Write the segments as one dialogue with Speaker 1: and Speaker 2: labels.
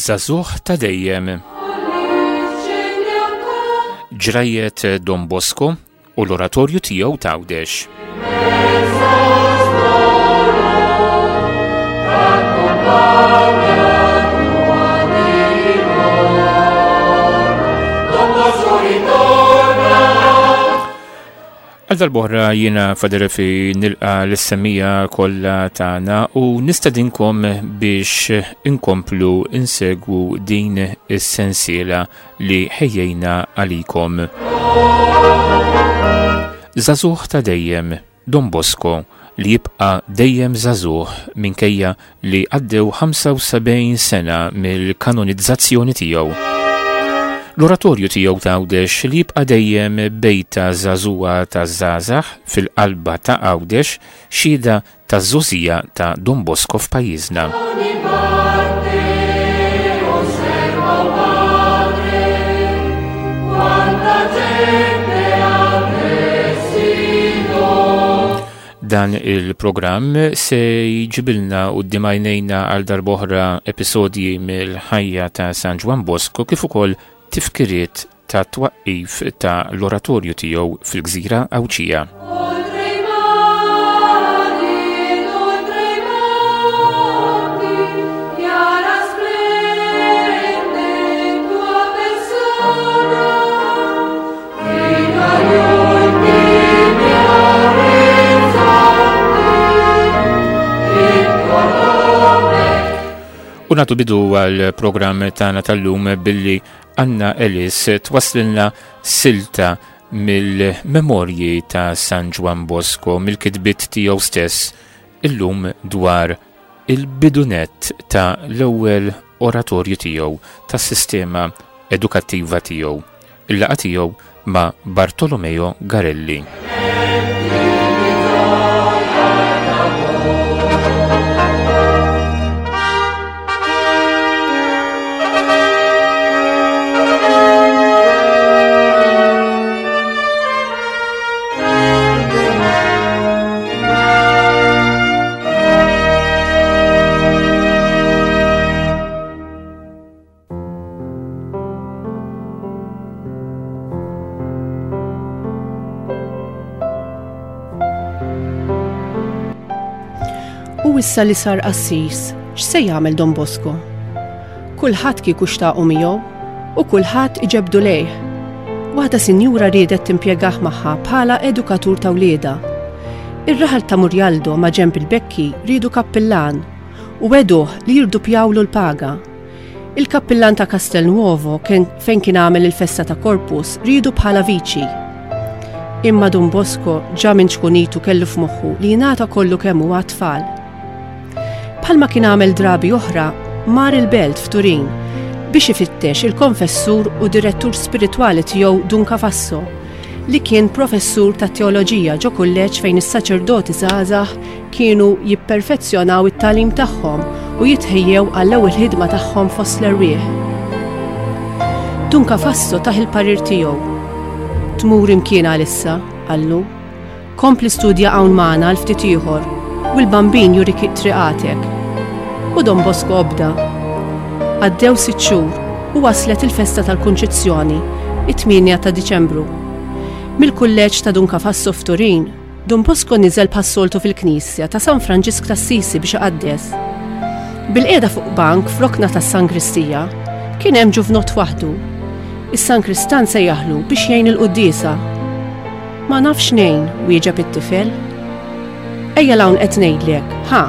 Speaker 1: Żagħżugħ ta' dejjem. Ġrajjet Don Bosco u l-oratorju tiegħu t'Għawdex. Għal darb'oħra jiena Father Efi nilqa l-semmija kollha tagħna u nistedinkom biex inkomplu insegwu din is-sensiela li ħejjejna għalikom. Żagħżugħ ta' dejjem Don Bosco li jibqa' dejjem żagħżugħ minkejja li għaddew 75 sena mill-kanonizzazzjoni tiegħu. L-oratorju tiegħu t'Għawdex li jibqa' dejjem bejta żagħżugħa taż-żgħażagħ fil-qalba ta' Għawdex xhieda taż-żgħożija ta' Don Bosco f'pajjiżna. Dan il-programm se jġibilna quddiem għajnejna għal darb'oħra episodji mill-ħajja ta' San Ġwann Bosco kif ukoll tifkiriet ta' twaqqif ta' l-oratorju tiegħu fil-gżira Għawdxija. U nagħtu bidu għall-programm tagħna tal-lum billi Anna Ellis twaslilna silta mill-memorji ta' San Ġwann Bosco mill-kitbiet tiegħu stess illum dwar il-bidunett ta' l-ewwel oratorju tiegħu tas-sistema edukattiva tiegħu, il-laqgħa tiegħu ma' Bartolomeo Garelli.
Speaker 2: U issa li sar qassis, x'se jagħmel Don Bosco? Kulħadd kieku xtaqu miegħu u kulħadd iġebdu lejh. Waħda sinjura riedet timpjegah magħha bħala edukatur ta' wliedha. Ir-raħal ta' Murjaldo ma' ġenb il-Bekki riedu kappillan u wegħduh li jirdupjawlu l-paga. Il-kappillan ta' Castelnuovo fejn kien għamel il-festa ta' Corpus riedu bħala viċi. Imma Dun Bosco ġa minn ċkunitu kellu f'moħħu li jingħata kollu kemm hu għat-tfal. Bħalma kien għamel drabi oħra, mar il-belt f'Turin biex ifittex il-konfessur u direttur spiritwali tiegħu Dun Cafasso, li kien professur tat-teoloġija ġo kulleġġ fejn is-saċerdoti żgħażagħ kienu jipperfezzjonaw it-tagħlim tagħhom u jitħejjew għall-ewwel ħidma tagħhom fost l-erwieħ. Dun Cafasso tah il-parir tiegħu. Tmur imkien għalissa, qallu. Kompli studja hawn magħna għal ftit ieħor u l-Bambin jurik triqatek. U Don Bosco obda. Għaddew sitt xhur u waslet il-festa tal-Kunċizzjoni, it-8 ta' Diċembru. Mill-kulleġġ ta' Dun Cafasso f'Turin, Dun Bosco niżel bħas-soltu fil-knisja ta' San Franġisk t'Assisi biex iqaddes. Bilqiegħda fuq bank f'rokna tas-sangristija, kien hemm ġuvnott waħdu. Is-sankristan sejjaħlu biex jgħin il-quddiesa. Ma nafx ngħin, wieġeb it-tifel. Ejja 'l hawn qed ngħidlek, ħa,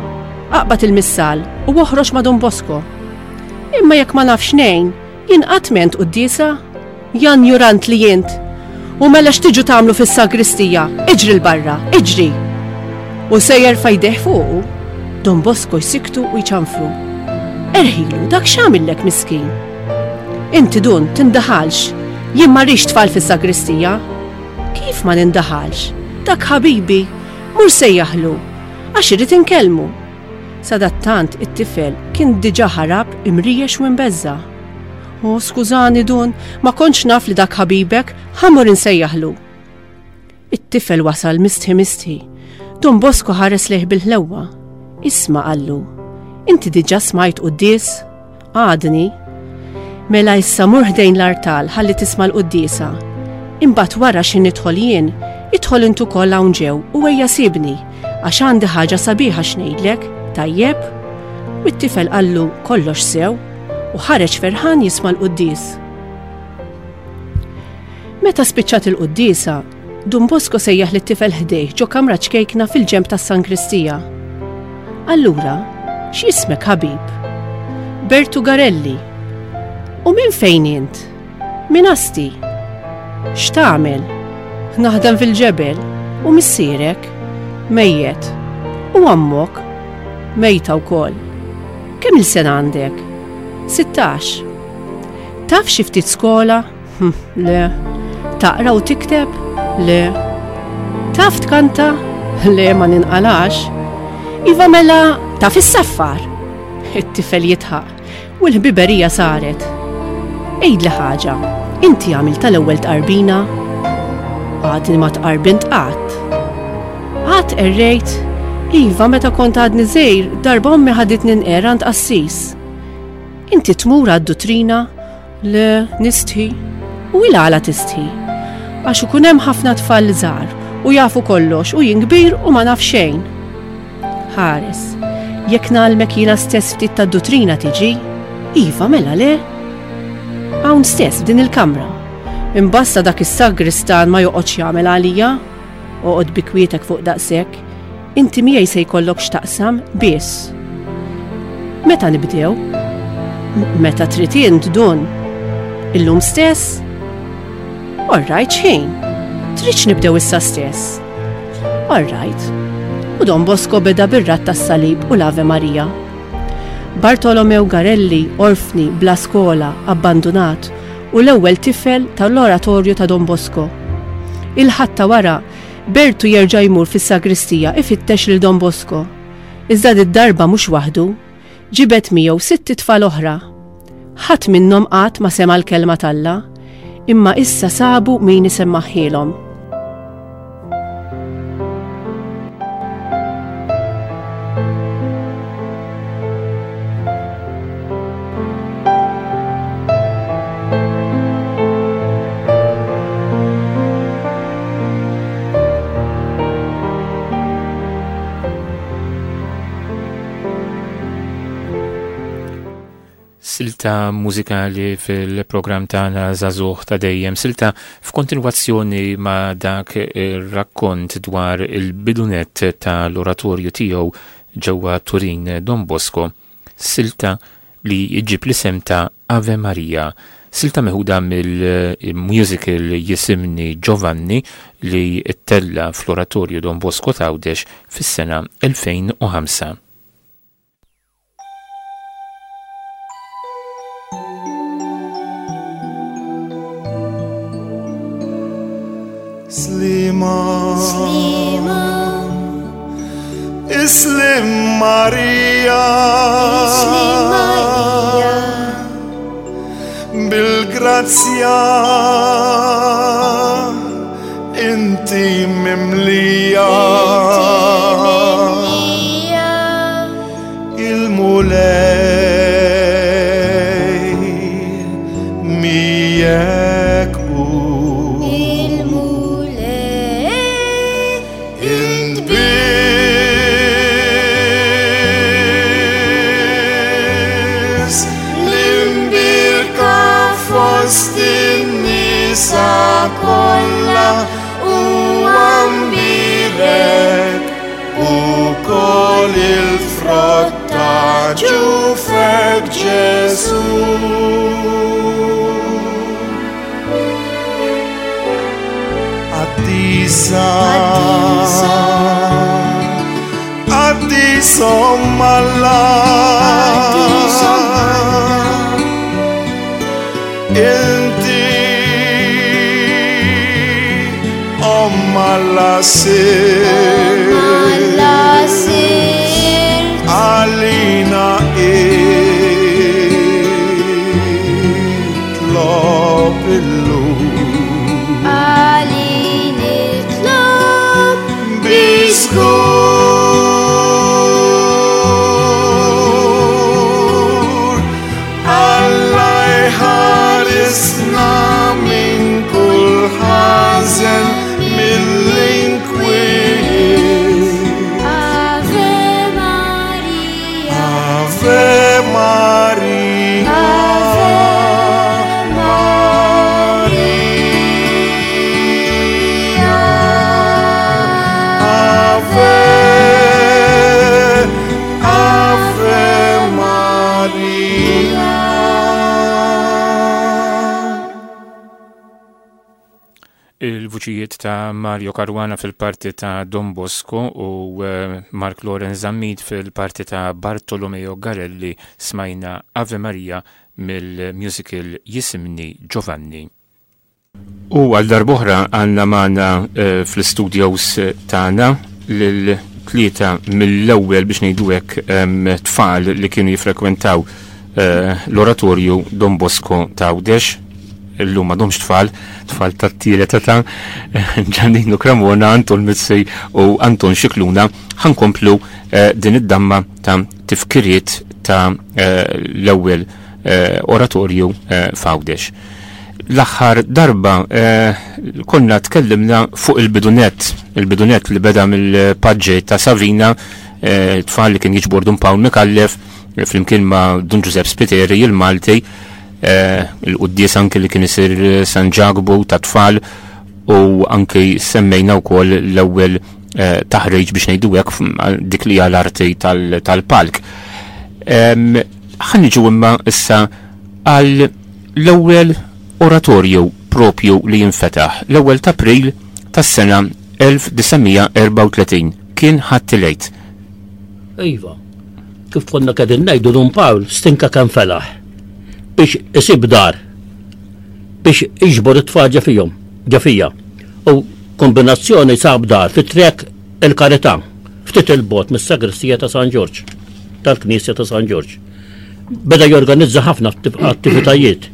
Speaker 2: aqbad il-missal u oħroġ ma' Dun Bosco. Imma jekk ma nafx ngħin, jien qatt m'għent quddiesa? Ja njurant li int! U mela x'tiġu tagħmlu fis-sagristija? Iġri 'l barra, iġri! U se jerfa' jdejh fuqu. Don Bosco jsikktu u jċanfru. Erħilu, dak x'għamillek miskin? Inti Dun, tindaħalx. Jien ma rridx tfal fis-sagristija. Kif ma nindaħalx? Dak ħabibi, mur sejjaħlu, għax irrid inkellmu. Sadattant it-tifel kien diġà ħarab imriex u imbeżża'. O, skużani, Dun, ma kontx naf li dak ħabibek, ħa mmur insejjaħlu. It-tifel wasal mistħi mistħi. Don Bosco ħares lejh bil-ħlewwa. Isma' qallu, inti diġà smajt quddies? Għadni. Mela issa mur ħdejn l-artal ħalli tisma' l-quddiesa. Imbagħad wara xi nidħol jien, idħol int ukoll hawn ġew u ejja sibni, għax għandi ħaġa sabiħa x'ngħidlek, tajjeb? U t-tifel qallu kollox sew u ħareġ ferħan jisma' l-quddies. Meta spiċċat il-quddiesa, Dun Bosco sejjaħ lit-tifel ħdejh ġo kamra ċkejkna fil-ġenb tas-sangristija. Allura, x'jismek ħabib? Bertu Garelli. U minn fejn int? Minn Asti. X'tagħmel? Naħdem fil-ġebel. U missierek? Mejjet. U ommok? Mejta wkoll. Kemm-il sena għandek? 16. Taf xi ftit skola? Hm, le. Taqra u tikteb? Le. Taf tkanta? Le, ma ninqalax. Iva mela, taf issaffar? It-tifel jitħaq u l-ħbiberija saret. Għidli ħaġa, inti għamilt tal-ewwel tqarbina? Għadni ma tqarbint qatt. Qatt errejt? Iva, meta kont għadni żgħir, darba ommi ħaditni nqer għand qassis. Inti tmur għad-dutrina? Le, nistħi. U il għala tistħi? Għax ikun hemm ħafna tfal żgħar u jafu kollox u jien kbir u ma naf xejn. Ħares, jekk ngħallmek jiena stess ftit tad-dutrina tiġi? Iva, mela le. Hawn stess f'din il-kamra. Imbasta dak is-sagristan ma joqgħodx jagħmel għalija. Oqgħod bi kwietek fuq daqshekk. Inti miegħi se jkollok x'taqsam biss. Meta nibdew? Meta trid int dun. Illum stess? All right, x'ħin? Tridx nibdew issa stess? All right. U Don Bosco beda bir-radd tas-salib u l-Ave Maria. Bartolomew Garelli, orfni, bla skola, abbandunat, u l-ewwel tifel tal-oratorju ta' Don Bosco. Il-Ħadd ta' wara, Bertu jerġa' jmur fis-sagristija ifittex lil Don Bosco. Iżda did-darba mhux waħdu. Ġibed miegħu sitt itfal oħra. Ħadd minnhom qatt ma sema' l-kelma t'Alla, imma issa sabu min isemmagħhielhom.
Speaker 1: Silta mużikali fil-programm tagħna Żagħżugħ ta' dejjem, silta f'kontinwazzjoni ma' dak ir-rakkont dwar il-bidunet tal-oratorju tiegħu ġewwa Turin Don Bosco. Silta li ġġib l-isem ta' Ave Maria, silta meħuda mill-musical Jisimni Giovanni li ttella' fl-Oratorju Don Bosco t'Għawdex fis-sena 2005.
Speaker 3: Sliema. Sliema. Islim Marija. Islim Marija. Bil-grazzja inti mimlija. Il-Mulej miegħek hu. Il-Mulej Int biss l-imbierka fost in-nisa kollha u mbierek ukoll il-frott ta' ġufek Ġesù. Qaddisa, Qaddisa Omm Alla. Inti Omm Alla sirt. Għalina itlob illum.
Speaker 4: Għalin itlob
Speaker 3: Biżgur Alla jħares.
Speaker 1: Il-vuċijiet ta' Mario Caruana fil-parti ta' Don Bosco u eh, Mark Loren Zammit fil-parti ta' Bartolomeo Garelli smajna Ave Maria mill-musical Jisimni Giovanni. U għal darbohra għanna maħna eh, fl-studios tagħna lil tlieta mill-ewwel biex ngħidu hekk tfal li kienu jifrekwentaw eh, l-oratorju Don Bosco ta' Għawdex illum m'għadhomx tfal, tfal tat-tielet ta' Giannino Cremona, Anton Mizzi u Anton Xikluna, ħankomplu eh, din id-damma ta' tifkiriet ta' eh, l-ewwel eh, oratorju f'Għawdex. L-aħħar darba konna tkellimna fuq il-bidunet, il-bidunet li beda mill-paġġi ta' Savina, tfal li kien jiġbor Dun Pawl Mikallef, flimkien ma' Dun Giuseppe Spiteri, il-Malti, eh, il-quddies anki li kien isir eh, San Ġakbu ta' tfal u anki semmejna wkoll l-ewwel eh, taħriġ biex ngħidu hekk dik li l-arti tal-palk. Ħa niġu imma issa għal l-ewwel oratorju propju li jinfetaħ l-ewwel ta' April tas-sena 1934 kien ħadd il-Għid.
Speaker 5: Iva, kif konna qegħdin ngħidu Dun Pawl stinka kemm felaħ biex isib dar biex iġbor it-tfal ġa fihom, ġa fija. U kombinazzjoni sab dar fi trek il-Karità, ftit il-bot mis-sagristija ta' San Ġorġ, tal-Knisja ta' San Ġorġ. Beda jorganizza ħafna attivitajiet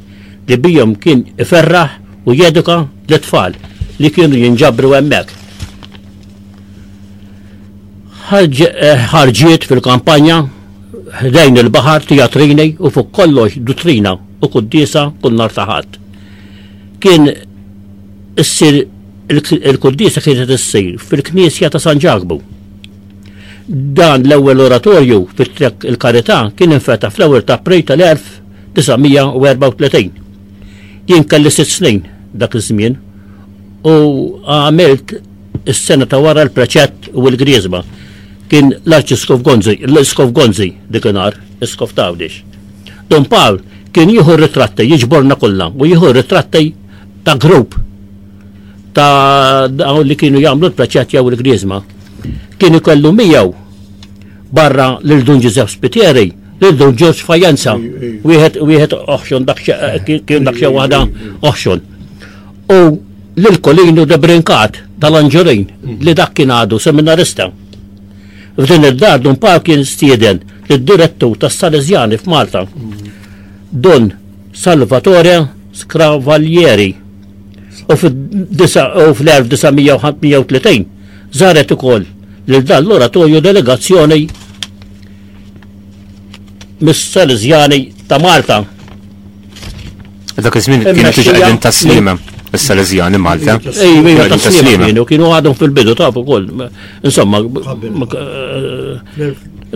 Speaker 5: li bijom kien iferraħ u jeduka l-tfal li kienu jinġabru hemmhekk. Ħarġiet fil-kampanja ħdejn il-baħar, tijatrini u fuq kollox duttrina u quddiesa kull nhar ta' Ħadd. Kien issir il-quddiesa kienet issir fil-Knisja ta' San Ġakbu. Dan l-ewwel oratorju fit-Trek il-Karità kien infetaħ fl-ewwel ta' April tal-1934. Jien kelli sitt snin dak iż-żmien u għamilt Is-sena ta' wara l-preċett u l-griżma. Kien l-Arċisqof Gonzi, l-Isqof Gonzi dikinhar, Isqof ta' Għawdex. Dun Pawl kien jieħu r-ritratti, jiġborna kollha u jieħu r-ritratti ta' grupp ta' dawn li kienu jagħmlu l-preċett jew il-griżma. Kien ikollu miegħu barra lil Dun Ġużepp Spitieri, lil Dun Ġorġ Fajenza, wieħed wieħed oħxon dak kien dak xi waħda oħxon. U lil Colino de Brincat tal-Anġurin li dak kien għadu seminarista. F'din id-dar Dun Pawl kien stieden lid-direttur tas-Salesjani f'Malta, Dun Salvatore Scravalieri. U fl-1935 żaret ukoll lil dan l-oratorju delegazzjoni mis-Salesjani ta' Malta.
Speaker 1: Dak iż-żmien kienu tiġi qegħdin tas-Sliema, is-Salesjani Malta.
Speaker 5: Ej, tas-Sliema kienu, kienu għadhom fil-bidu taf ukoll. Insomma,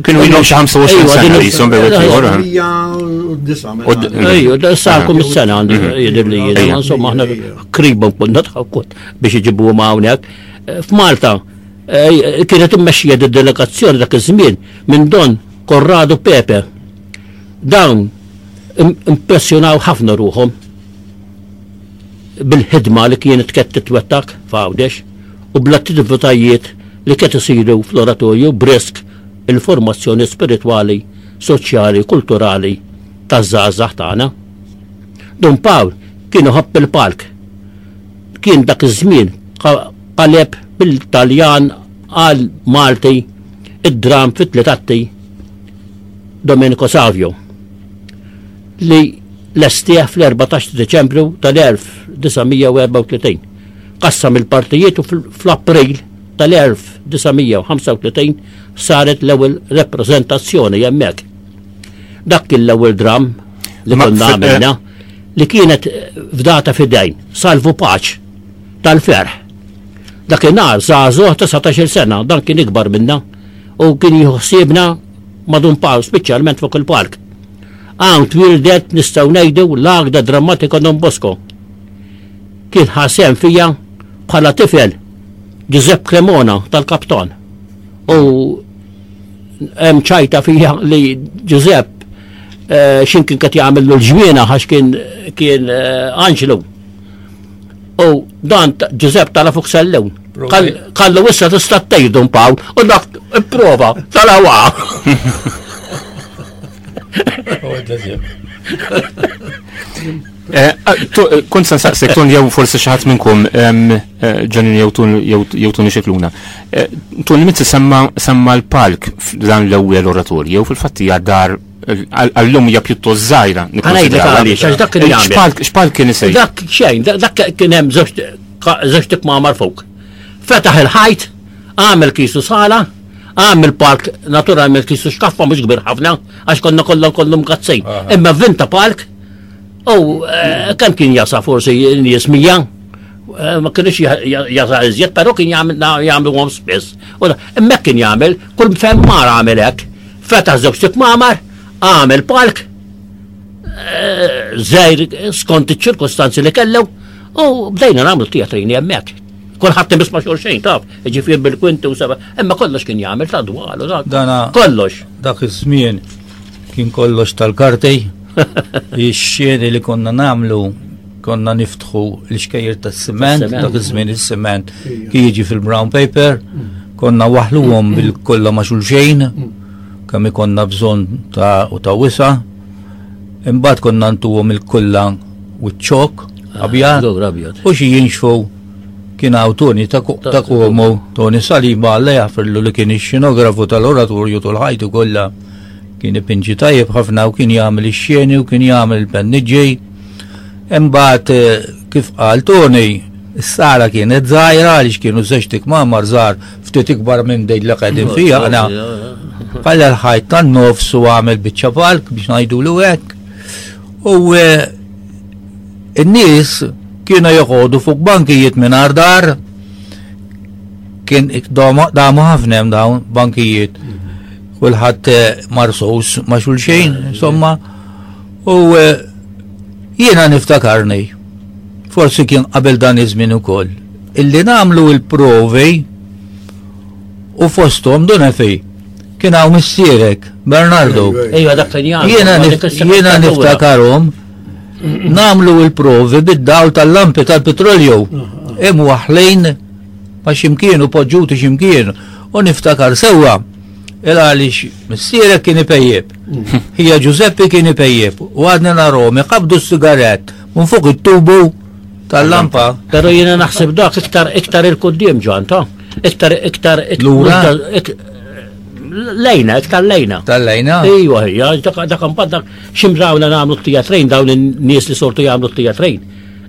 Speaker 1: kienu ilhom xi 25 sena jisom bejn ieħor.
Speaker 5: Ejju, sarkom is-sena għandi mhm. jidher li jiena, insomma aħna kribhom konna tħakkut biex iġibuhom hawnhekk. F'Malta kienet immexxija d-delegazzjoni dak iż-żmien minn Don Corrado Pepe. Dawn impressjonaw ħafna ruħhom bil-ħidma li kienet qed titwettaq f'Għawdex u bl-attivitajiet li qed isiru fl-oratorju b'risk il-formazzjoni spiritwali, soċjali, kulturali taż-żgħażagħ tagħna. Dun Pawl kien iħobb il-palk. Kien dak iż-żmien qaleb bil-Taljan għal Malti id-dramm fi tliet atti Domenico Savio li lestih fl-14 ta' Deċembru tal-1934. Qassam il-partijiet u fl-April tal-1935 saret l-ewwel rappreżentazzjoni hemmhekk. Dak kien l-ewwel dramm li konna għamilna li kienet fdata f'idejn Salvu Paċ tal-ferħ. Dakinhar żagħżugħ ta' 19-il sena, dan kien ikbar minna u kien jieħu ħsiebna ma' Dun Pawl, speċjalment fuq il-park. Hawn twieldet nistgħu ngħidu l-Għaqda Drammatika Don Bosco. Kien ħa sehem fija bħala tifel Giuseppe Cremona tal-Kaptan. U hemm ċajta fija li Giuseppe eh, x'imkien qed jagħmel l-ġmiena għax kien kien eh, anġlu. U dan Ġużepp tala fuq sellew. Kallu issa tista' tgħid Dun Pawl u dak ipprova tala waqa.
Speaker 1: Eh, eh, kont se nsaqsek tun jew forsi xi ħadd minnkom eh, Ġanin jew tun jew Tuni Xikluna. Tun Mizzi semma semma l-palk f'dan l-ewwel oratorju fil-fatt hija dar għallum hija pjuttost żgħira.
Speaker 5: Ngħidlek għaliex, għax dak kien jagħmel.
Speaker 1: X'palk kien isejjaħ?
Speaker 5: Dak xejn, dak kien hemm żewġ tikmamar fuq. Fetaħ il-ħajt, għamel kisu sala, għamel park naturalment kisu xkaffa mhux kbir ħafna, għax konna kollha kollu mkazzejn. Imma vinta park u eh, kemm kien jasa forsi nies mija, eh, ma kienx jasa iżjed, però kien jagħmlu għom spiss. Imma kien jagħmel, kull fejn mar għamel hekk. Fetaħ żewġ tikmamar, għamel palk, eh, żgħir skont iċ-ċirkostanzi li kellu, u bdejna nagħmlu teatrini hemmhekk. Kulħadd imiss ma' xulxejn taf, ġifier bil-kwinti u seba', imma kollox kien jagħmel ta' dwal u
Speaker 6: Dana
Speaker 5: kollox.
Speaker 6: Dak iż-żmien kien kollox tal-karti, ix-xeni li konna nagħmlu konna niftħu l-xkejjer tas-siment, dak iż-żmien is-siment kien jiġi fil-brown paper, konna waħluhom bil-kollha ma' xulxejn, kemm ikonna bżonn ta' u ta' wisa. Imbagħad konna ntuhom il-kulla u ċ-ċok ah, abjad. U xi jinxfu kien hawn Toni ta' Como, Toni Saliba Alla jaħfirlu li kien ix-xenografu tal-oratorju tul ħajtu kollha. Kien ipinġi tajjeb ħafna u kien jagħmel ix-xeni u kien jagħmel il-penniġġej. Imbagħad eh, kif qal Tony, is-sala kienet żgħira għaliex kienu żewġ tikmamar żgħar ftit ikbar minn dejn li qegħdin fiha aħna. Qalla l-ħajt tan-nofs u għamel biċċa palk biex ngħidulu hekk. U eh, n-nies kienu joqogħdu fuq bankijiet mingħajr dar kien damu ħafna hemm dawn bankijiet. Kulħadd eh, marsus ma' xulxejn, insomma. U eh, jiena niftakarni, forsi kien qabel dan iż-żmien ukoll, illi nagħmlu il-provi u fosthom dun efi kien hawn missierek Bernardo.
Speaker 5: Ejja dak kien jagħmel.
Speaker 6: Jiena jiena niftakarhom nagħmlu il-provi bid-dawl tal-lampi tal-petrolju. Imwaħlin ma ximkien u poġġuti ximkien u niftakar sewwa Il għaliex missierek kien ipejjeb. Ħija Ġużeppi kien ipejjeb u għadni narahom iqabbdu s-sigarett minn fuq it-tubu tal-lampa.
Speaker 5: Però jiena naħseb dak iktar iktar il-quddiem ġan ta' iktar iktar
Speaker 6: Lura?
Speaker 5: Lejna, iktar lejna.
Speaker 6: Tal-lejna?
Speaker 5: Ejwa, ejja, dak dak imbagħad dak ximrawna nagħmlu t-teatrejn dawn in-nies li sortu jagħmlu t-teatrejn.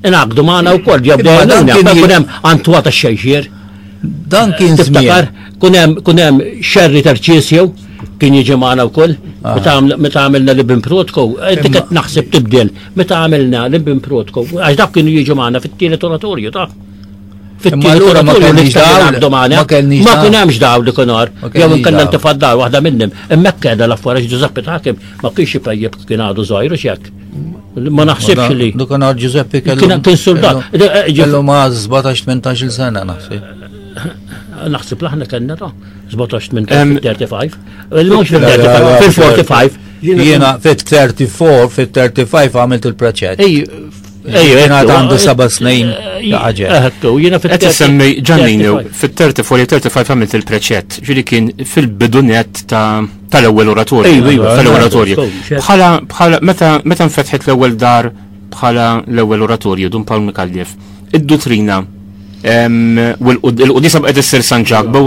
Speaker 5: Ingħaqdu magħna wkoll, ġew
Speaker 6: Imma dan
Speaker 5: bdejna,
Speaker 6: kien
Speaker 5: kun hemm Antwa tax-xejxier.
Speaker 6: Dan kien
Speaker 5: Tiftakar, kun hemm kun hemm Xerri Tarċisju kien jiġi magħna wkoll ah. meta għamilna li bin Protko, inti qed naħseb tibdel meta għamilna li bin Protko, għax dak kienu jiġu magħna fit-tielet oratorju ta'
Speaker 6: fit-tielet oratorju li
Speaker 5: għabdu magħna. Ma kien hemmx dawl dik nhar, jew inkella ntifa' dar waħda minnhom. Hemmhekk qiegħda l-affarijiet Ġużeppi Takim ma kienx ipejjeb kien għadu żgħir u x'hekk. Ma naħsibx li.
Speaker 6: Dak nhar Giuseppe kellu.
Speaker 5: Kien soldat. Eh,
Speaker 6: eh, kellu ma' 17-18 sena naħseb.
Speaker 5: Naħseb l-aħna kellna ta' 17-18 35. Mhux fil-35, fil-45.
Speaker 6: Jiena fit-34, fit-35 għamilt il-preċett.
Speaker 5: Ejja,
Speaker 6: għandu seba' snin ħaġa.
Speaker 5: Jiena
Speaker 1: fit Qed semmi Ġannini fit-34 35 għamilt il-preċett, ġieli kien fil-bidunet ta' tal-ewwel oratorju. Tal-ewwel oratorju. Bħala bħala meta meta nfetħet l-ewwel dar bħala l-ewwel oratorju Dun Pawl Mikallef, id-duttrina u l-qudisa bqgħet issir San Ġakbu,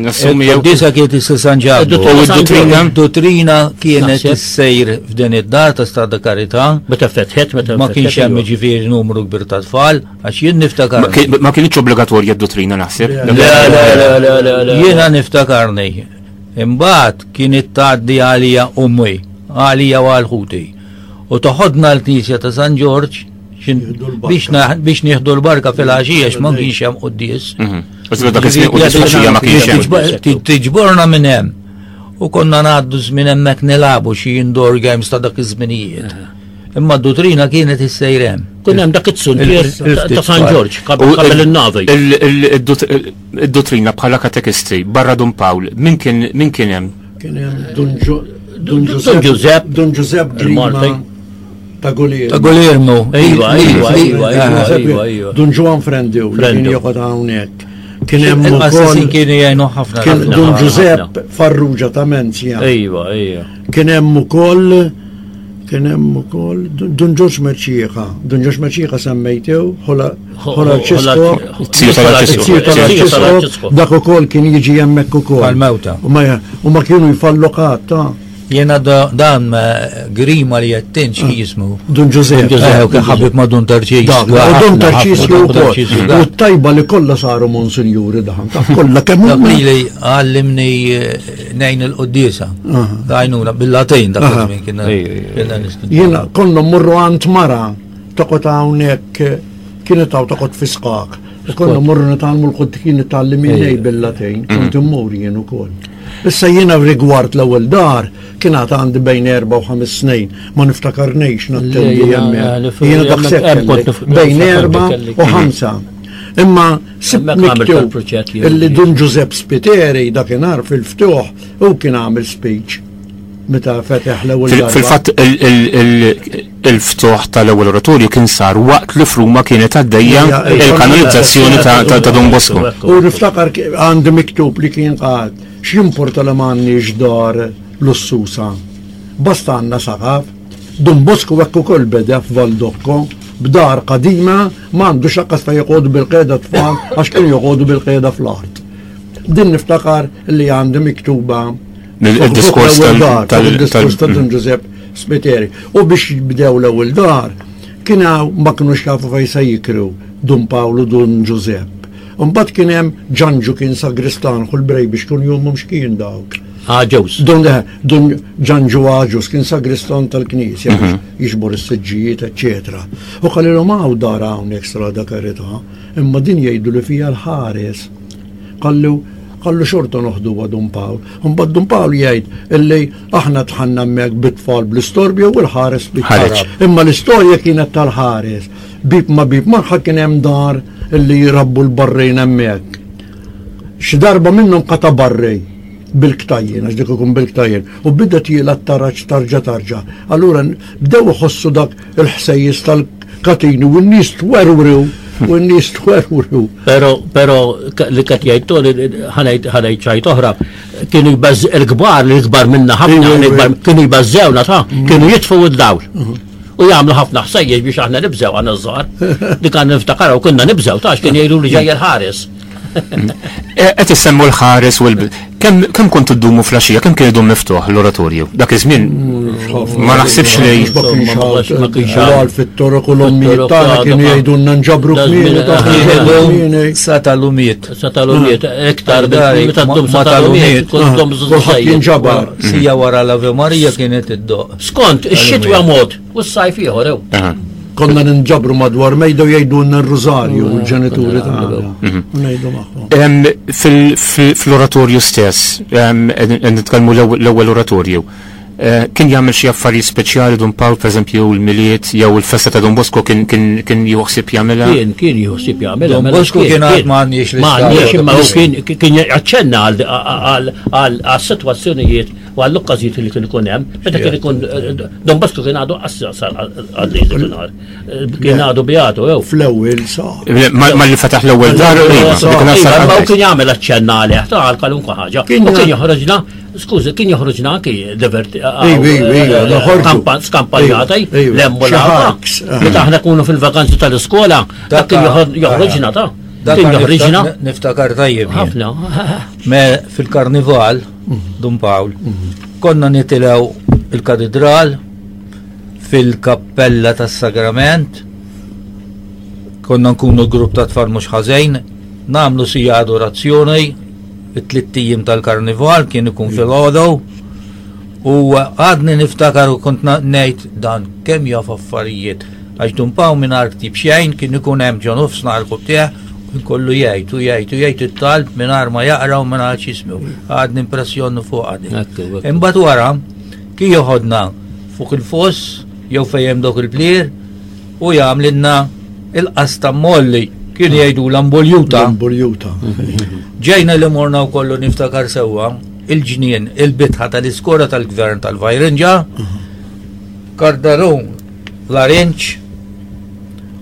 Speaker 6: nassumi jew. Il-qudisa kienet issir San Ġakbu.
Speaker 1: U d-duttrina?
Speaker 6: Duttrina kienet issejr f'din id-dar ta' Strada Karità.
Speaker 5: Meta fetħet, meta
Speaker 6: Ma kienx hemm ġifieri numru kbir ta' tfal, għax jien niftakar.
Speaker 1: Ma kienx obbligatorja d-duttrina naħseb.
Speaker 5: Le, le, le, le, le.
Speaker 6: Jiena niftakarni. Imbagħad kienet tgħaddi għalija ommi, għalija u għal ħuti. U toħodna l-knisja ta' San Ġorġ biex nieħdu l-barka fil-għaxija ma kienx hemm quddies.
Speaker 1: Mhm.
Speaker 6: Tiġborna minn hemm. U konna ngħaddu żmien hemmhekk nilagħbu xi indoor games ta' dak iż-żminijiet. Imma d-dutrina kienet issejr hemm.
Speaker 5: Kien hemm dak it-suntier ta' San Ġorġ qabel in-navi.
Speaker 1: Id-duttrina bħala katekisti barra Dun Pawl, min kien min kien hemm?
Speaker 7: Kien hemm Dun Dun Giuseppe Dun Giuseppe Grima. Ta' Guglielmo.
Speaker 6: Ta' Guglielmo.
Speaker 5: Ejwa, ejwa, ejwa, ejwa, ejwa.
Speaker 7: Dun Ġwan Frendu li kien joqgħod hawnhekk. Kien hemm
Speaker 6: ukoll kienu jgħinu ħafna.
Speaker 7: Kien Dun Ġużepp Farrugia ta' Menzja.
Speaker 5: Ejwa, ejwa.
Speaker 7: Kien hemm ukoll kien hemm ukoll Dun Ġorġ Mercieca. Dun Ġorġ Mercieca semmejtew, ħola Ċisko.
Speaker 1: Ziju
Speaker 7: tal-Arċisqof. Dak ukoll kien jiġi hemmhekk ukoll.
Speaker 6: Għal-mewta.
Speaker 7: U ma kienu jfallu qatt, ta'
Speaker 6: Jena dan Grima li jettin xi jismu.
Speaker 7: Dun Ġużepp.
Speaker 6: Dun Ġużepp kien ħabib ma' Dun Tarċis.
Speaker 7: U Dun Tarċis wkoll. U tajba li kollha saru monsinjuri daħan. Taf kollha kemm
Speaker 6: Dak li li għallimni eh, nejn il-quddiesa. Għajnuna bil-Latin dak iż-żmien kienna kienna nistudjaw.
Speaker 7: Jiena konna mmorru għand mara toqgħod hawnhekk kienet hawn toqgħod fi sqaq. Konna mmorru nitgħallmu l-qud kien itgħallimni bil-Latin, kont immur jien ukoll. Issa jiena rigward l-ewwel dar kien għad għandi bejn erba' u ħames snin, ma niftakarnix nattendi hemmhekk. Jiena daqshekk bejn erba' u ħamsa. Imma sibt miktub illi Dun Ġużepp Spiteri dakinhar fil-ftuħ u kien għamel speech meta fetaħ l-ewwel darba.
Speaker 1: Fil-fatt il-ftuħ tal-ewwel oratorju kien sar waqt li f'Ruma kienet għaddejja il-kanonizzazzjoni ta' Don Bosco.
Speaker 7: U niftakar għandi miktub li kien qal x'jimporta li m'għandniex dar lussusa. Basta għandna saqaf. Don Bosco hekk ukoll beda f'Valdocco b'dar qadima m'għandux lanqas fejn joqogħdu bil-qiegħda tfal għax kienu joqogħdu bil-qiegħda fl-art. Din niftakar li għandi miktuba
Speaker 1: Il-diskors
Speaker 7: tal-diskors ta' Dun Ġużepp Spiteri. U biex bdew l-ewwel dar, kien ma kinux jafu fejn se jikru Dun Pawlu Dun Ġużepp. Imbagħad kien hemm Ġanġu kien sagristan ħu l-brej biex kienu jumhom x'kien dawk.
Speaker 5: Aġus.
Speaker 7: Dun eh, Dun Ġanġu Aġus kien sagristan tal-knisja biex mhm. jiġbor is-siġġijiet, eċċetera. U qalilhom hawn dar hawnhekk strada karità, imma din jgħidu li fiha l-ħares. Qallu, qallu xorta noħduha Dun Pawl. Imbagħad Dun Pawl jgħid illi aħna dħalna hemmhekk bit-tfal bl-istorbju u l-ħares ħareġ. Imma l-istorja kienet tal-ħares. Bib ma bib magħha kien hemm dar illi jrabbu l-barrejn hemmhekk. Xi darba minnhom qata' barrej bil-ktajjen, għax dik ikun bil-ktajjen, u bida tiela t-taraġ tarġa tarġa. Allura bdew iħossu dak il-ħsejjes tal-katini u n-nies twerwru u n-nies twerwru.
Speaker 5: Pero, pero li qed jgħid Tony, ħanejt ħanejt ċajt oħra, kienu jbaż il-kbar, l-ikbar minna ħafna, kienu jbażżewna ta' mm. kienu jitfu d-dawl. Mm-hmm. U jagħmlu ħafna ħsejjes biex aħna nibżew għandna żgħar. Dik għandna niftakar u konna nibżew ta' kien jgħidu li ġej il-ħares.
Speaker 1: Eh, qed issemmu l-ħares u l kemm kontu ddumu flaxija, kemm kien idum miftuħ l-oratorju? Dak iż-żmien ma naħsibx li
Speaker 7: ma kienx għal fit-toroq u l-ommijiet tagħna kienu jgħidulna nġabru kmieni.
Speaker 6: Sa tal-umiet.
Speaker 5: Sa tal-umiet, iktar meta ddum sa tal-umiet, kont ddum
Speaker 7: Kulħadd jinġabar.
Speaker 6: Sija wara l-Ave Maria kienet iddoq.
Speaker 5: Skont, ix-xitwa mod u s-sajf ieħor ew.
Speaker 7: Konna ninġabru madwar mejda u jgħidulna r-rużarju u l-ġenituri tagħna. Mhm. U ngħidu
Speaker 1: magħhom. Fl-oratorju stess, nitkellmu l-ewwel oratorju, eh, kien jagħmel xi affarijiet speċjali Dun Pawl, pereżempju l-Milied jew il-festa ta' Don Bosco kien kien juħsib jagħmilha?
Speaker 5: Kien kien juħsib jagħmilha.
Speaker 6: Don
Speaker 5: mela
Speaker 6: Bosco kien għad m'għandniex
Speaker 5: l M'għandniex imma kien kien jaċċenna għal sitwazzjonijiet u għall-okkażijiet li kien ikun hemm, meta kien ikun Don Bosco kien għadu qassar għaddej dakinhar. Kien għadu beatu jew.
Speaker 7: Fl-ewwel sa.
Speaker 1: Ma li fetaħ l-ewwel dar,
Speaker 5: iva, kien jagħmel aċċenna għalih ta' għal kwalunkwe ħaġa. U kien joħroġna, skużi, kien joħroġna anki diverti. Skampanjata, lemmu l Meta aħna kunu fil-vakanzi tal-iskola, dak kien joħroġna ta'
Speaker 6: Kien joħroġna. Niftakar tajjeb.
Speaker 5: Ħafna.
Speaker 6: Me fil-karnival, Dun Pawl, konna nitilgħu il-katedral fil-kappella tas-Sagrament, konna nkunu grupp ta' tfal mhux ħażejn, nagħmlu sija adorazzjoni, it-tlitt ijiem tal-karnival kien ikun filgħodu, u għadni niftakar u kont ngħid dan kemm jaf affarijiet. Għax Dun Pawl mingħajr ktieb xejn kien ikun hemm ġo nofs nhar kub tiegħ u jkollu jgħid u jgħid u jgħid it-talb mingħajr ma jaqra u mingħajr x'jismu. Għadni impressjoni fuqha dik. Imbagħad wara kien joħodna fuq il-foss jew fejn hemm dawk il-plier u jagħmlilna il-qasta molli kien jgħidu l-amboljuta.
Speaker 7: L-amboljuta.
Speaker 6: Ġejna li morna wkollu niftakar sewwa il-ġnien il-bitħa tal-iskola tal-gvern tal-Vajrinġa. Kardarun. larinġ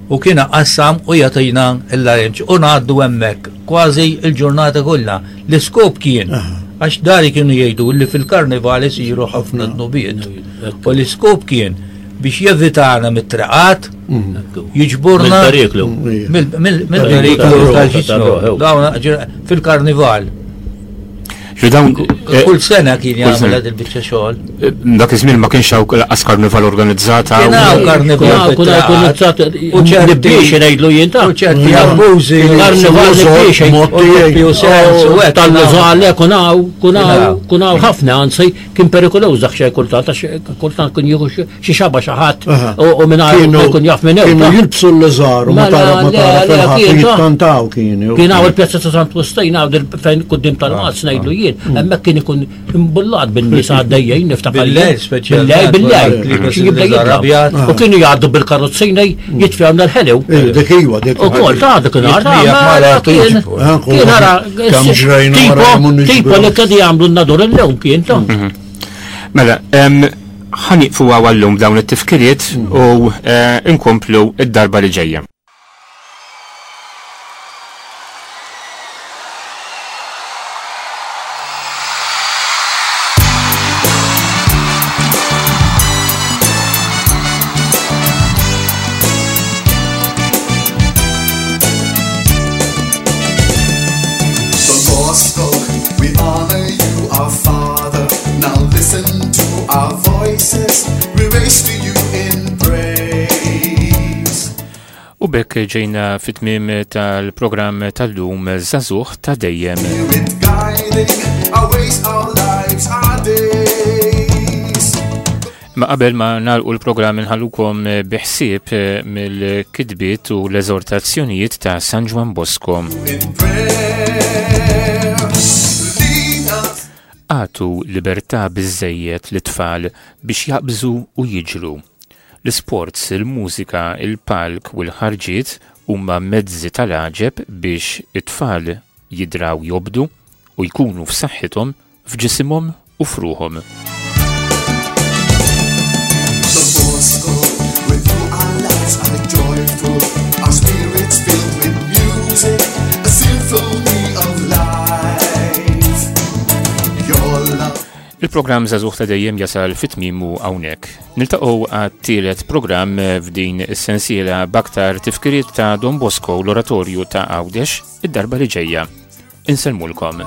Speaker 6: u kien qassam u jagħtina l-larinġ u ngħaddu hemmhekk kważi l-ġurnata kollha. L-iskop kien għax dari kienu jgħidu li fil-karnival isiru ħafna dnubiet. U l-iskop kien biex jevitana mit-triqat, jiġburna
Speaker 5: mill-periklu.
Speaker 6: Mill-periklu tal-ġismu. Dawn fil-karnival.
Speaker 1: Dawn
Speaker 6: kull sena kien jagħmel għad il-biċċa xogħol.
Speaker 1: Dak iż-żmien ma kienx hawn lanqas karnival organizzata.
Speaker 6: Kien hawn karnival
Speaker 5: organizzat u ċerti biex ngħidlu jien ta'
Speaker 6: u ċerti abbużi.
Speaker 5: Karnival biex
Speaker 6: u sens u hekk.
Speaker 5: Tal-lużale kun hawn kun hawn kun hawn ħafna anzi kien perikoluż dak xejn kultant għax kultant kien jieħu xi xaba xi ħadd u mingħajr ma jkun jaf minn
Speaker 7: hemm. Kienu jilbsu l-liżar u ma tara ma tara fil-ħadd jitkantaw kienu.
Speaker 5: Kien hawn il-pjazza ta' Sant Wistin hawn fejn quddiem tal-Qazz ngħidlu jien, mm. hemmhekk kien ikun imbullat bin-nies għaddejjin niftakar.
Speaker 6: Bil-lejl
Speaker 5: speċjalment. Bil-lejl, bil-lejl. U kienu jgħaddu bil-karozzina jitfgħu l-ħelew.
Speaker 7: Eh, dik iwa, dik.
Speaker 5: Ukoll ta' dik nhar. Kien ara tipo li kien jagħmlu n-nadur illum kien ta'.
Speaker 1: Mhm. Mela, ħaniqfu għallum dawn it-tifkiriet u eh, nkomplu id-darba li ġejja.
Speaker 3: Bosco, we honor you, our Father. Now listen to our voices, we raise to you in praise.
Speaker 1: U bekk ġejna fit-tmiem tal-programm tal-lum Żagħżugħ ta' Dejjem.
Speaker 3: Spirit guiding our ways, our lives, our days.
Speaker 1: Ma qabel ma nagħlqu l-programm inħallukom bi ħsieb mill-kitbiet u l-eżortazzjonijiet ta' San Ġwann Bosco.
Speaker 3: In prayer, lead us.
Speaker 1: Agħtu libertà biżżejjed lit-tfal biex jaqbżu u jiġru. L-isports, il-mużika, il-palk u l-ħarġiet huma mezzi tal-għaġeb biex it-tfal jidraw jobdu u jkunu f'saħħithom f'ġisimhom u f'ruħhom.
Speaker 3: Don Bosco, with you our lives are joyful, our spirits filled with music, a symphony of life. Your love.
Speaker 1: Il-programm Żagħżugħ ta' Dejjem jasal fi tmiemu hawnhekk. Niltaqgħu għat-tielet programm f'din is-sensiela b'aktar tifkiriet ta' Don Bosco u l-Oratorju ta' Għawdex id-darba li ġejja. Insellmulkom.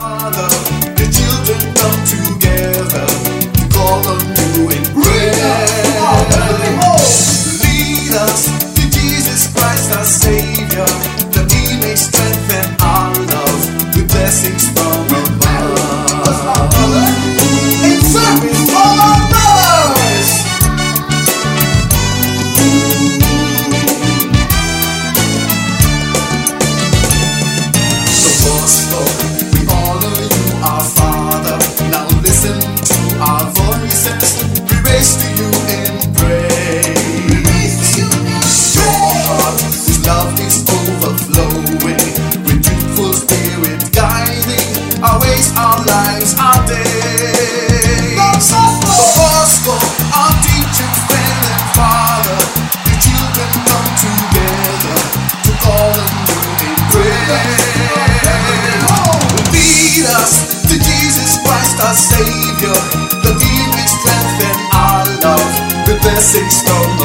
Speaker 3: The children come together to call on you in prayer. Lead us to Jesus Christ our Savior, that He may strengthen our love with blessings from above. In service for our brothers. Don Bosco, we honor you, our Father. Now listen to our voices. We raise to you in praise. Your heart, whose love is overflowing, with youthful spirit guiding our ways, our lives, our days. Don Bosco, our teacher, friend, and father, the children come together to call on you in prayer. Lead us to Jesus Christ, our Savior, that He may strengthen our love with blessings from